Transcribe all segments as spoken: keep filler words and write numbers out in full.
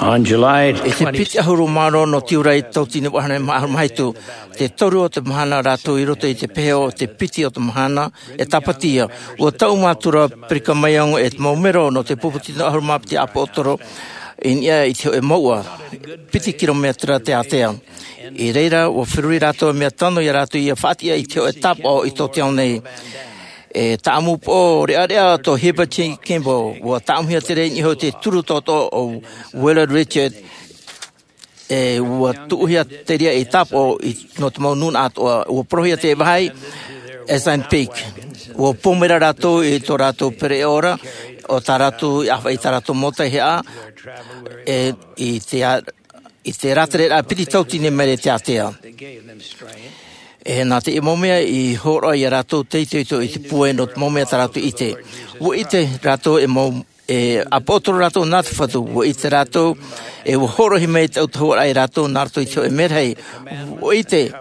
On July twenty. I te piti ʻahuru mā ono nō tiurai tauatini vaʻu ʻahuru mā hitu, te toru o te mahana rātou i roto i te pehe o te piti o te mahana e tāpati ia. Ua taʻu mātou ra Brigham Young e te mau mero nō te pupu tino ʻahuru mā piti ʻāpōsetolo i niʻa i te hōʻē mouʻa piti kilometera te ātea. I reira ua feruri rātou e mea tano ia rātou ia faʻatiʻa i te hōʻē tāpaʻo i tō te ao nei. E tāʻamu pō reʻareʻa tō Heber J. Kimball, ua tāʻamuhia te reira i niʻa i te turu toto o Willard Richard, e ua tuʻuhia te reira i tāpaʻo i nō te mau nūnaʻa atoʻa. Ua porohia te vāhi Assunpink. Ua pōmera rātou i tō rātou pereʻoʻo ra o tā rātou i ʻāfaʻi i tā rātou mau taihaʻa, e i te a- i te rātere rā piti tauatini maere te ātea. E nā te mau mea i hōroʻa ia rātou te itoito i te pūai nō te mau mea tā rātou i ʻite. Ua ʻite rātou e mau e ʻāpōsetolo rātou nā te Fatu. Ua ʻite rātou e ua hōroʻahia mai te autahuʻaraʻa ia rātou nā roto i te hōʻē merahi. Ua ʻite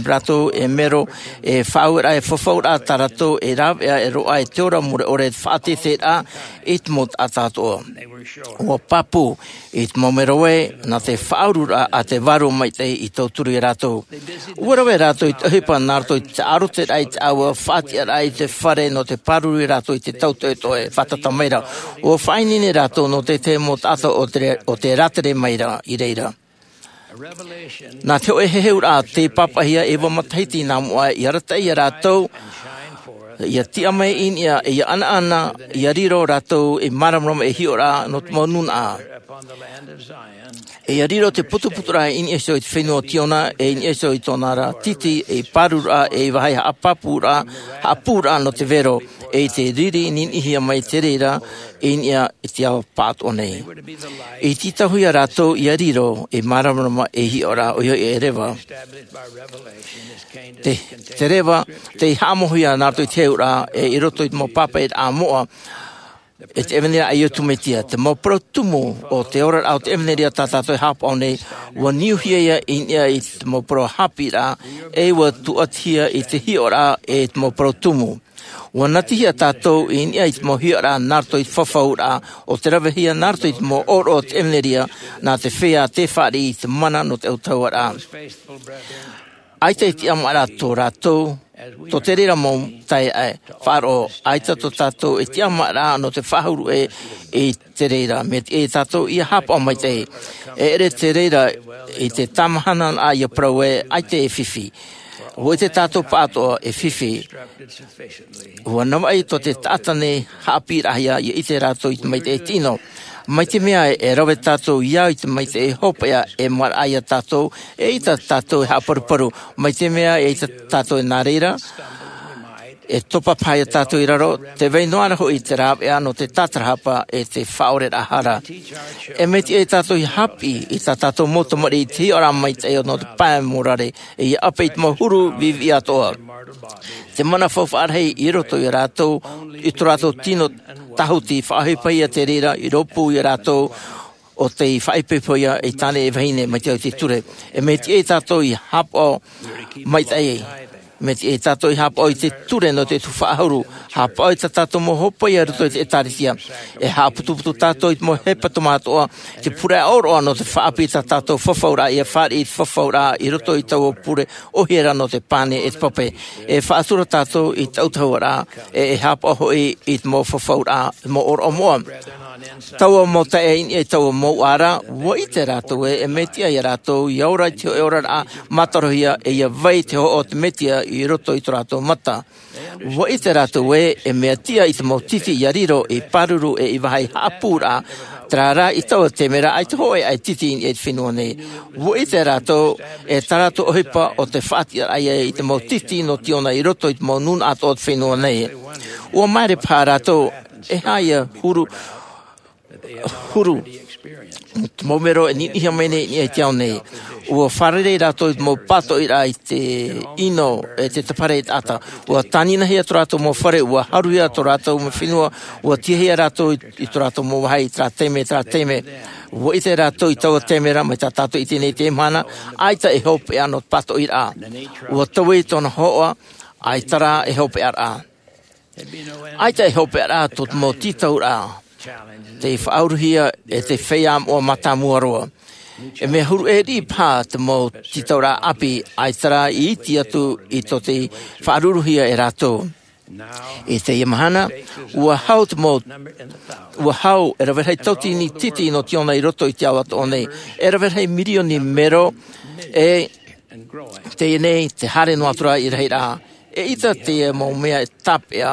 rātou e mero e faʻaueraʻa e fafauraʻa tā rātou e rāveʻa e roaʻa i te ora mure ʻore e te faʻateteraʻa i te mau taʻata atoʻa. Ua pāpū i te mau mero ē nā te faʻaururaʻa a te Vārua Maitaʻi i tauturu ia rātou. Ua rave rātou i te ʻohipa nā roto i te ʻāroteraʻa i te ʻāua, faʻatiʻaraʻa i te fare nō te pāruru ia rātou i te tautoʻetoʻe fātata maira. Ua faʻaineine rātou nō te tahi mau taʻata o te o te rātere maira i reira. Nā te hōʻē heheuraʻa tei pāpaʻihia e ʻeva matahiti nā mua i arataʻi ia rātou ia tiʻa mai i niʻa e ia ʻanaʻana ia riro rātou ei māramarama ei hiʻoraʻa nō te mau nūnaʻa. E ia riro te putuputuraʻa i niʻa iho i te fenua o Tiona, e i niʻa iho i tōna ra titi ei pārururaʻa, ei vāhi haʻapāpūraʻa, haʻapūraʻa nō te vero, e i te riri niniʻihia mai te reira i niʻa i te ao pāʻatoʻa nei. I tītauhia rātou ia riro ei māramarama ei hiʻoraʻa ʻoia hoʻi e reva. Te te reva tei haʻamauhia nā roto i te heheuraʻa e i roto i te mau pāpaʻiraʻa moʻa e te ʻevanelia a Iesu Mesia. Te mau parau tumu o te oraraʻa o te ʻevanelia tā tātou e haʻapaʻo nei, ua niuhia ia i niʻa i te mau parau haʻapiʻiraʻa, e ua tūʻatihia i te hiʻoraʻa e te mau parau tumu. Ua natihia tātou i niʻa i te mau hiʻoraʻa nā roto i te fafauraʻa o te ravehia nā roto i te mau ʻōroʻa o te ʻevanelia, nā te feiā tei fāriʻi i te mana nō te autahuʻaraʻa. ʻAita e tiʻamāraʻa tō rātou tō te reira mau taeaʻe. Faʻaroʻo, ʻaita tō tātou e tiʻamāraʻa nō te faʻahuru ʻē i te reira. Mea tiʻa ia tātou ia haʻapaʻo maitaʻi. E ʻere te reira i te tāmahananaʻa ia parau ē, ʻaita e fifi. Ua ʻite tātou pāʻatoʻa e fifi. Ua navaʻi tō te taʻata nei haʻapiʻiraʻahia ia ʻite rātou i te maitaʻi tino. Mai te mea e rave tātou ia i te maitaʻi hopeʻa e maraʻa ia tātou, eʻita tātou e haʻaparuparu. Mai te mea eʻita tātou e nā reira e topa paha ia tātou i raro, te vai noa ra hoʻi te rāveʻa nō te tātarahapa e te faʻaoreraʻa hara. E mea tiʻa ia tātou ia haʻapiʻi i tā tātou mau tamariʻi i te hiʻoraʻa maitaʻi nō te pae morare, e ia ʻape i te mau huru viʻiviʻi atoʻa. Te mana faufaʻa rahi i roto ia rātou i tō rātou tino tāhuti, faʻaʻohipahia te reira i rōpū ia rātou o tei faʻaipoipohia ei tāne e vahine mai te au i te ture. E mea tiʻa ia tātou ia haʻapaʻo maitaʻi. Mea tiʻa ia tātou ia haʻapaʻo i te ture nō te tuhaʻa ʻahuru. Haʻapaʻo i tā tātou mau hopeʻa i roto i te ʻētārētia. E haʻaputuputu tātou i te mau hepetoma atoʻa, te pure ʻōroʻa nō te faʻaʻapi i tā tātou fafauraʻa ia fāriʻi i te fafauraʻa i roto i taua pure ʻohie ra nō te pane e te pape. E faʻatura tātou i te autahuʻaraʻa, e e haʻapaʻo hoʻi i te mau fafauraʻa, te mau ʻōroʻa moʻa. Taua mau taeaʻe i niʻa i taua mau ʻāra, ua ʻite rātou ē e mea tiʻa ia rātou ia ora i te hōʻē oraraʻa mātarohia, e ia vai i te hohoʻa o te Mesia i roto i tō rātou mata. Ua ʻite rātou ē e mea tiʻa i te mau titi ia riro ei pāruru e ei vāhi haʻapūraʻa, terā rā i taua taime ra ʻaita hōʻē ʻae titi i niʻa i te fenua nei. Ua ʻite rātou e tā rātou ʻohipa o te faʻatiʻaraʻa ia i te mau titi nō Tiona i roto i te mau nūnaʻa atoʻa o te fenua nei. Ua maere paha rātou e aha ia huru, huru te mau mero e niniʻihia mai nei i niʻa i te ao nei. Ua fārerei rātou i te mau pātoʻiraʻa i te ʻino e te tapahara e taʻata. Ua tāninahia tō rātou mau fare, ua haruhia tō rātou mau fenua, ua tiʻahia rātou i, i tō rātou mau vāhi, terā taime, terā taime. Ua ʻite rātou i taua taime ra, mai tā tātou i ʻite nei i teie mahana, ʻaita e hopeʻa nō te pātoʻiraʻa. Ua taui tōna hōhoʻa, ʻaita rā e hopeʻaraʻa. ʻAita e hopeʻaraʻa tō te mau tītauraʻa. te faʻauruhia e te feiā moʻa mātāmua roa. E mea huru ʻē riʻi paha te mau tītauraʻa ʻāpī, ʻaita rā i iti atu i tō te faʻauruhia e rātou. I teie mahana, ua hau te mau, ua hau e rave rahi tauatini titi nō te ʻona i roto i te ao atoʻa nei, e rave rahi mirioni mero, e teie nei te haere noa atu ra i rahiraʻa. E ʻita te mau mea e tāpeʻa,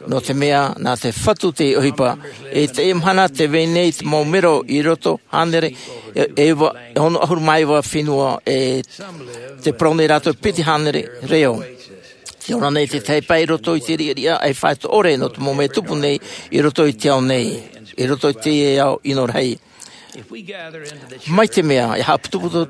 nō te mea nā te Fatu te ʻohipa. I teie mahana tē vai nei te mau mero i roto hānere e, e iva, e ono ʻahuru mā iva fenua, e tē parau nei rātou piti hānere reo. Tē ora nei te tahi pae i roto i te riʻariʻa ʻaifāito ʻore nō te mau mea e tupu nei i roto i te ao nei, i roto i te ao ʻino rahi. Mai te mea e haʻaputuputu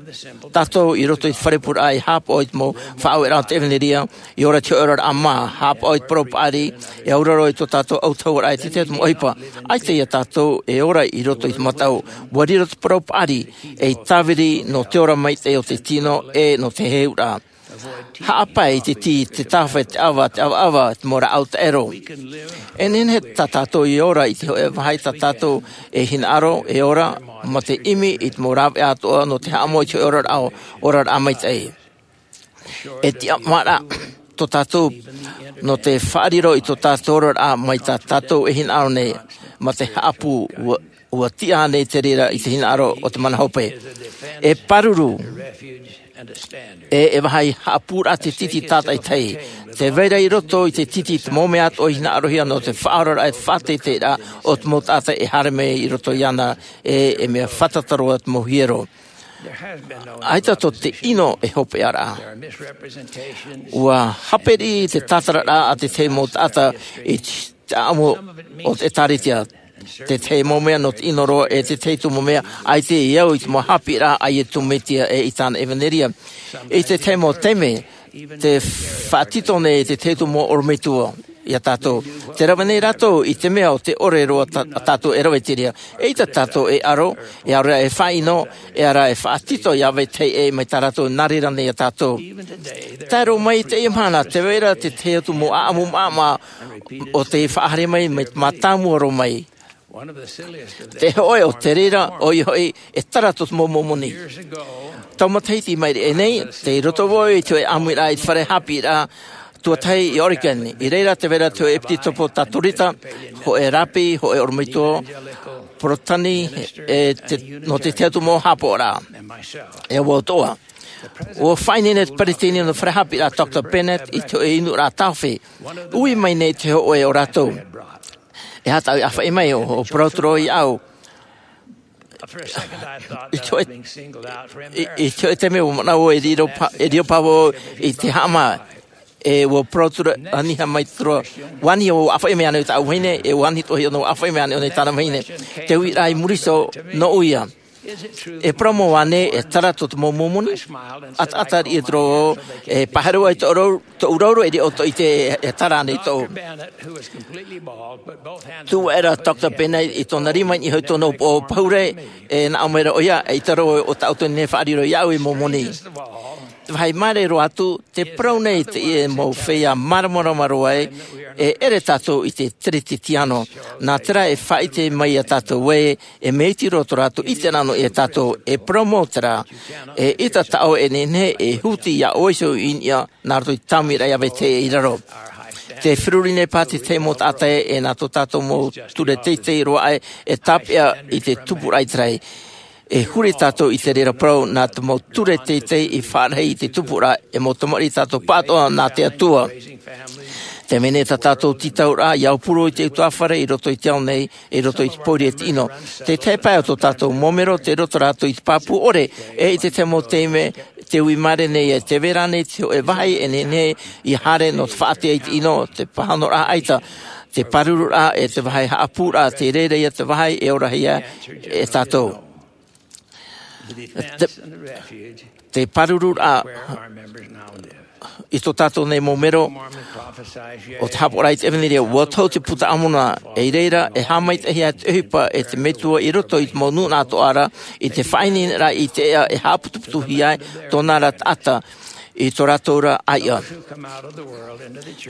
tātou i roto i te fare pūraʻa e haʻapaʻo i te mau faʻaueraʻa o te ʻevanelia, e ora i te hoʻi oraraʻa mā, haʻapaʻo i te parau paʻari, e auraro i tō tātou autahuʻaraʻa i te tahi atu mau ʻohipa. ʻAita ia tātou e ora i roto i te mataʻu, ua riro te parau paʻari ei tāviri nō te ora maitaʻi o te tino e nō te heheuraʻa. Haʻapae i te tī, te tāwhai, te ʻava, te ʻavaʻava, te mau rāʻau taʻero. E nehenehe tā tātou e ora i te hoʻi vāhi tā tātou e hinaʻaro, e ora, mā te ʻimi i te mau rāveʻa atoʻa nō te haʻamoʻe i te hoʻi oraraʻa, oraraʻa maitaʻi. E tiʻamāraʻa tō tātou nō te faʻariro i tō tātou oraraʻa mai tā tātou e hinaʻaro nei, mā te haʻapū, ua, ua tiʻa nei te reira i te hinaʻaro o te mana hope. E pāruru, e, e vāhi haʻapūraʻa te titi tātaʻitahi. Tē vai ra i roto i te titi te mau mea atoʻa i hinaʻarohia nō te faʻaoraraʻa e te faʻateiteiraʻa o te mau taʻata e haere mai i roto iāna, e, e mea fātata roa te mau hiero. ʻAita tō te ʻino e hopeʻaraʻa. Ua hape riʻi te tātararaʻa a te tahi mau taʻata i te ʻāʻamu o te ʻĒtārētia. Te tahi mau mea nō te ʻino roa, e te tahi atu mau mea, ʻaita e au i te mau haʻapiʻiraʻa a Iesu Mesia e i tāna ʻevanelia. I te tahi mau taime, tē faʻatito nei te tahi atu mau ʻorometua iā tātou. Tē rave nei rātou i te mea ʻo tē ʻore roa tā, tātou e rave i te reira. Eʻita tātou e aro, e aro e faʻaʻino, e ara e faʻatito iā vetahi ʻē mai tā rātou nā reira nei iā tātou. Tae roa mai i teie mahana, tē vai ra te tahi atu mau ʻāʻamu maʻamaʻa ʻo tē faʻahaere mai, mai te mātāmua roa mai. Te hōʻē o te reira, ʻoia hoʻi, e tara tō te mau Mōmoni. Tau matahiti i maʻiri aʻe nei, tei roto vau i te hōʻē ʻāmuiraʻa i te fare haʻapiʻiraʻa tuatahi i Oregon. I reira tē vai ra te hōʻē ʻepitokopo Katorika, hōʻē rāpi, hōʻē ʻorometua Porotetani, e te, nō te tahi atu mau haʻapaʻoraʻa. E au atoʻa. ʻUa faʻaineine te peresideni nō te fare haʻapiʻiraʻa Doctor Bennett i te hōʻē inuraʻa tāofi. Ui mai nei te hōʻē o rātou. E aha tāʻu i ʻāfaʻi mai, ʻo, ʻo parau atu ra vau iāʻu. I te hōʻē, i, i te hōʻē taime ʻua manaʻo vau e riro pa-, e riro paha vau i te haʻamā. E ʻua parau atu ra, ani ha mai atu ra. ʻUa ani ʻo ʻāfaʻi mai ānei tāʻu vahine, e ʻua ani atoʻa hia ʻōna ʻua ʻāfaʻi mai ānei ʻōna i tāna vahine. Te uiraʻa i muri iho, nō ʻoia. E parau mau ānei, e tara tō te mau Mōmoni? ʻAtaʻata riʻi atu ra vau, e pāhono ai tō rau, tōʻu rauro, e riro ʻoutou i te, e tara ānei tōʻu. Tuʻu aʻera Doctor Bennett i tōna rima i niʻa i tōna upoʻo pahure, e nā ʻō mai ra ʻoia, eʻita roa ʻo tāʻu tō nei faʻariro iāʻu ei Mōmoni. Te vāhi māere roa atu, tē parau nei teie mau feiā māramarama roa ē, e ʻere tātou i te Teretetiano. Nā terā e faʻaʻite mai iā tātou ē, e mea iti roa tō rātou ʻite nā ʻō iā tātou, e parau mau terā, eʻita tā ʻoe e nehenehe e huti iā ʻoe iho i niʻa, nā roto i te tāmiraʻa iā vetahi ʻē i raro. Tē feruri nei paha te tahi mau taʻata ē, e nā tō tātou mau ture teitei roa ē, e tāpeʻa i te tupuraʻa ʻĪteraʻera. E huri tātou i te reira parau, nā te mau ture teitei i faʻarahi i te tupuraʻa, e mau tamariʻi tātou pāʻatoʻa nā te Atua. Tē vai nei tā tātou tītauraʻa, ʻia aupuru i te utuāfare i roto i te ao nei, i roto i te pōuri e te ʻino. Te tahi pae o tō tātou mau mero, tei roto rātou i te pāpū ʻore, e i te tahi mau taime, tē ui māere nei, e tē vai ra ānei te hōʻē vāhi e nehenehe ʻia haere nō te faʻaʻite i te ʻino, te pāhonoraʻa ʻaita, te pārururaʻa, e te vāhi haʻapūraʻa, tē reira ïa te vāhi e orahia e tātou. Te, te pārururaʻa i tō tātou nei mau mero o te haʻapaʻoraʻa i te ʻEvanelia, ʻua tohu te Puta a Moromona, i reira, e haʻamaitaʻihia te ʻohipa e te Metua i roto i te mau nūnaʻa atoʻa ra, i te faʻaineineraʻa i te ʻēʻa e haʻaputuputuhia ai tōna ra taʻata. i tō rātou ra ʻāiʻa.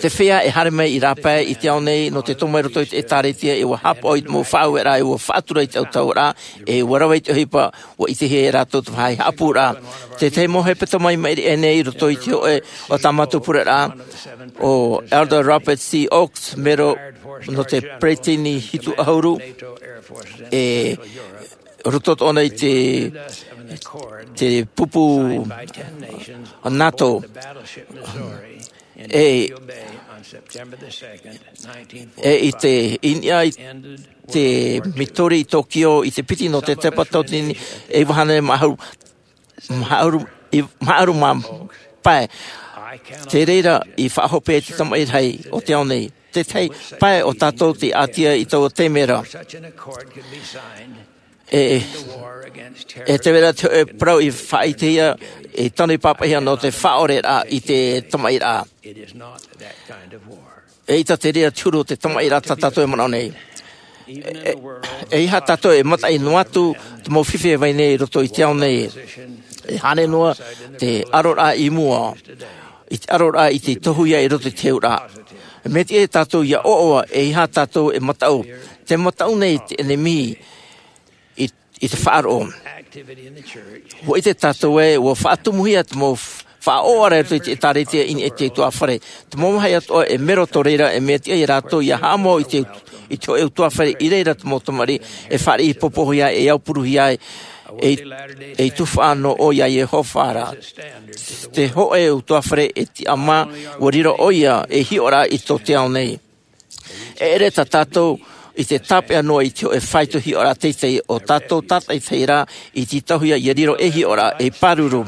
Te feiā e haere mai i rāpae i te ao nei nō te tomo i roto i te ʻētāretia, e ua haʻapaʻo i te mau faʻaueraʻa, e ua faʻatura i te autahuʻaraʻa, e ua rave i te ʻohipa, ua ʻitehia e rātou te vāhi haʻapūraʻa. Tētahi mau hepetoma i maʻiri aʻe nei i roto i te hōʻē o tā mātou pureraʻa, ʻo Elder Robert C. Oaks, mero nō te peresideni hitu ʻahuru, e roto atoʻa nei i te, te pupu NATO. E, e i te, i niʻa i te Missouri i Tokyo i te piti nō te tepa tauatini e iva hānere mā ʻahuru, mā ʻahuru, i, mā ʻahuru mā pae. Te reira i faʻahope ai te tamaʻi rahi o te ao nei. Tētahi pae o tātou tei ʻātia i taua taime ra. E, e te vai ra te hōʻē parau i faʻaʻitehia, i tano i pāpaʻihia nō te faʻaʻoreraʻa i te tamaʻiraʻa. E ʻaita te reira te huru o te tamaʻiraʻa tā tātou e manaʻo nei. E, e, eiaha tātou e mataʻi noa atu te mau fifi e vai nei i roto i te ao nei. E hānere noa te ʻaroraʻa i mua, i te ʻaroraʻa i te tohu ia i roto i te heuraʻa. Mea tiʻa ia tātou ia ʻoaʻoa, eiaha tātou e mataʻu. Te mataʻu nei te ʻenemi i, i te faʻaroʻo. Ua ʻite tātou ē, ua faʻatumuhia te mau f-, faʻaʻoʻaraʻa i roto i te ʻētāretia i niʻa i te ʻutuāfare. Te mau vāhi atoʻa e mero tō reira, e mea tiʻa ia rātou ia haʻamau i te, i te hōʻē ʻutuāfare i reira te mau tamariʻi e fāriʻi popohia, e aupuruhia ai, e, e tufaʻa noa ʻoia iā Iehova ra. Te hōʻē ʻutuāfare e tiʻamā, ua riro ʻoia ei hiʻoraʻa i tō te ao nei. E ʻere tā tātou i te tāpeʻa noa i te hōʻē faito hiʻoraʻa teitei, ʻo tātou tātaʻitahi rā i tītauhia ia riro ei hiʻoraʻa ei pāruru.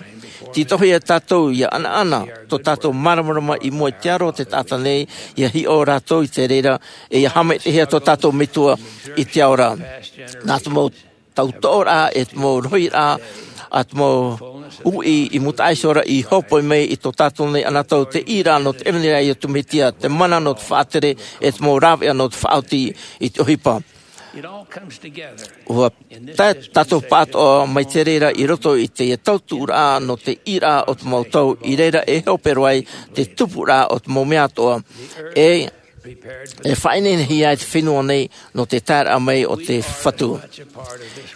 Tītauhia tātou ia ʻanaʻana tō tātou māramarama i mua i te aro o te taʻata nei, ia hiʻo rātou i te reira, e ia haʻamaitaʻihia tō tātou Metua i te ao ra. Nā te mau tautoʻoraʻa, e te mau rohiraʻa, ʻa te mau uʻi i mūtaʻa iho ra i hōpoi mai i tō tātou nei anotau, te ʻīraʻa nō te ʻevanelia a Iesu Mesia, te mana nō te faʻatere, e te mau rāveʻa nō te faʻaoti i te ʻohipa. Ua tae tātou pāʻatoʻa mai te reira i roto i te tautuʻuraʻa nō te ʻīraʻa o te mau tau, i reira e hope roa ai te tupuraʻa o te mau mea atoʻa. E e faʻaineinehia ai te fenua nei nō te taeraʻa mai o te Fatu.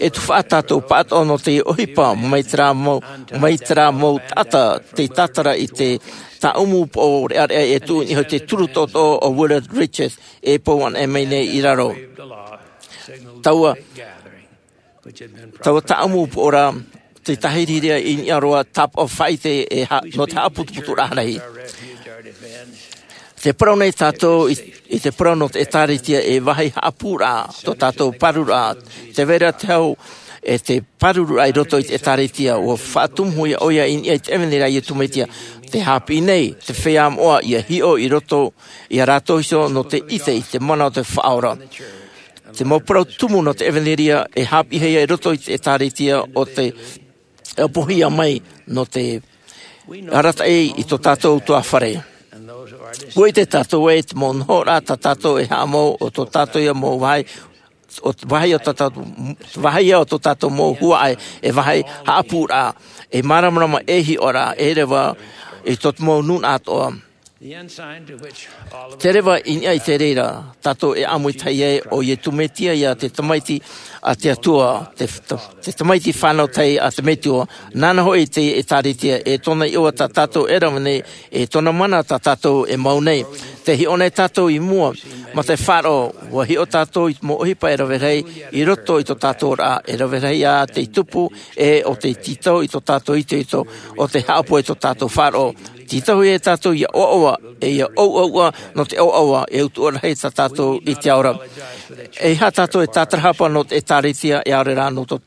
E tufaʻa tātou pāʻatoʻa nō te ʻohipa mai terā mau, mai terā mau taʻata tei tātara i te tāʻumu pō reʻareʻa e tuʻu i niʻa i te turu toʻotoʻo o Willard Richards e pou anaʻe mai nei i raro. Taua Taua tāʻumu pō ra, te tāhirihiri i niʻa roa tāpaʻo faʻaʻite e ha-, nō te haʻaputuputuraʻa rahi. Tē parau nei tātou i, i te parau nō te ʻĒtārētia e vāhi haʻapūraʻa tō tātou pārururaʻa, tē vai ra te hau e te pārururaʻa i roto i te ʻĒtārētia, ʻua faʻatumuhia ʻoia i niʻa i te ʻevanelia a Iesu Mesia, tē haʻapiʻi nei te feiā moʻa ia hiʻo i roto iā rātou iho nō te ʻite i te mana o te Faʻaora. Te mau parau tumu nō te ʻevanelia e haʻapiʻihia i roto i te ʻĒtārētia ʻo te ʻapohia mai nō te arataʻi i tō tātou ʻutuāfare. ʻUa ʻite tātou ē te mau nohoraʻa tā tātou e haʻamau ʻo tō tātou ia mau vāhi, ʻo te vāhi o tō tātou, vāhi ia o tō tātou mau huaʻai, e vāhi haʻapūraʻa, e māramarama e hiʻoraʻa, e reva i tō te mau nūnaʻa atoʻa. Te reva i niʻa i te reira tātou e ʻāmui tahi ai, ʻo Iesu Mesia ia te Tamaiti a te Atua, te, te, te Tamaiti fānau tahi a te Metua. Nāna hoʻi te ʻĒtārētia, e tōna iʻoa tā tātou e rave nei, e tōna mana tā tātou e mau nei. Tē hiʻo nei tātou i mua, mā te faʻaroʻo, ʻua hiʻo tātou i te mau ʻohipa e rave rahi i roto i tō tātou oraraʻa, e rave rahi ā tei tupu, e ʻo tei tītau i tō tātou itoito, ʻo tei haʻapohe i tō tātou faʻaroʻo. Tītauhia tātou ia ʻoaʻoa, e ia ʻouʻouʻa nō te ʻoaʻoa, e utuʻa rahi tā tātou i te ao ra. ʻEiaha tātou e tātarahapa nō te ʻĒtārētia, e ʻaore rā nō tō,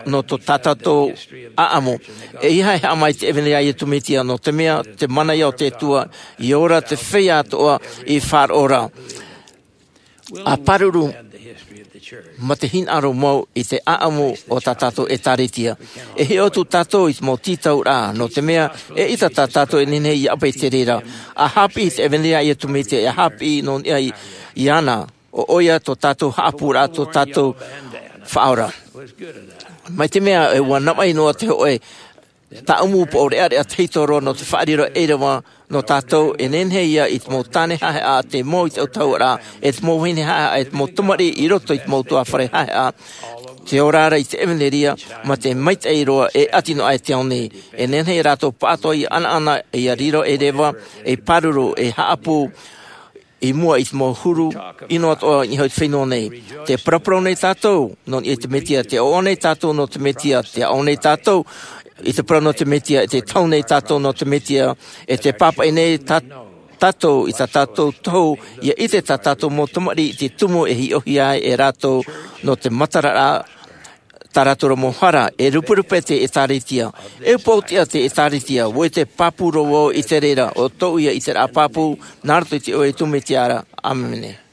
nō tō tā tātou ʻāʻamu. ʻEiaha e haʻamau i te ʻevanelia a Iesu Mesia, nō te mea, te mana ia o te Atua, ʻia ora te feiā atoʻa i faʻaroʻo ra. ʻA pāruru mā te hinaʻaro mau i te ʻāʻamu o tā tātou ʻĒtārētia. E hiʻo atu tātou i te mau tītauraʻa, nō te mea, eʻita tā tātou e nehenehe ia ʻapaʻi i te reira. ʻA haʻapiʻi i te ʻevanelia a Iesu Mesia, e haʻapiʻi nō niʻa i, iāna, ʻo ʻoia tō tātou haʻapūraʻa, tō tātou Faʻaora. Mai te mea, e ʻua navaʻi noa te hōʻē Tāʻumu poʻo reʻareʻa tahito roa nō te faʻariro ʻereʻa nō tātou e nehenehe ia i te mau tāne haʻehaʻa te mau i te autahuʻaraʻa e te mau vahine haʻehaʻa e te mau tamariʻi i roto i te mau tuāfare haʻehaʻa. Te ora ra i te ʻevanelia ma te maitaʻi roa e ʻati noa aʻe te ao nei. E nehenehe rātou pāʻatoʻa ia ʻanaʻana ia riro ʻereʻa e pāruru e haʻapū i mua i te mau huru ʻino atoʻa i niʻa i te fenua nei. Te paraparau nei tātou nō niʻa i te mesia te ʻoaʻoa nei tātou nō te mesia te aʻo nei tātou i te parau nō te mesia e te tau nei tātou nō te mesia e te pāpaʻi nei tātou i tā tātou tohu ia ʻite tā tātou mau tamariʻi i te tumu e hiʻohia ai e rātou nō te matararaʻa tā rātou mau hara. E ruperupe te ʻēkālesia e upoʻotiʻa te ʻēkālesia ʻo te pāpū roa vau i te reira o tōʻu ia ʻiteraʻa pāpū. Nā roto i te iʻoa o iesu mesia ra, ʻāmene.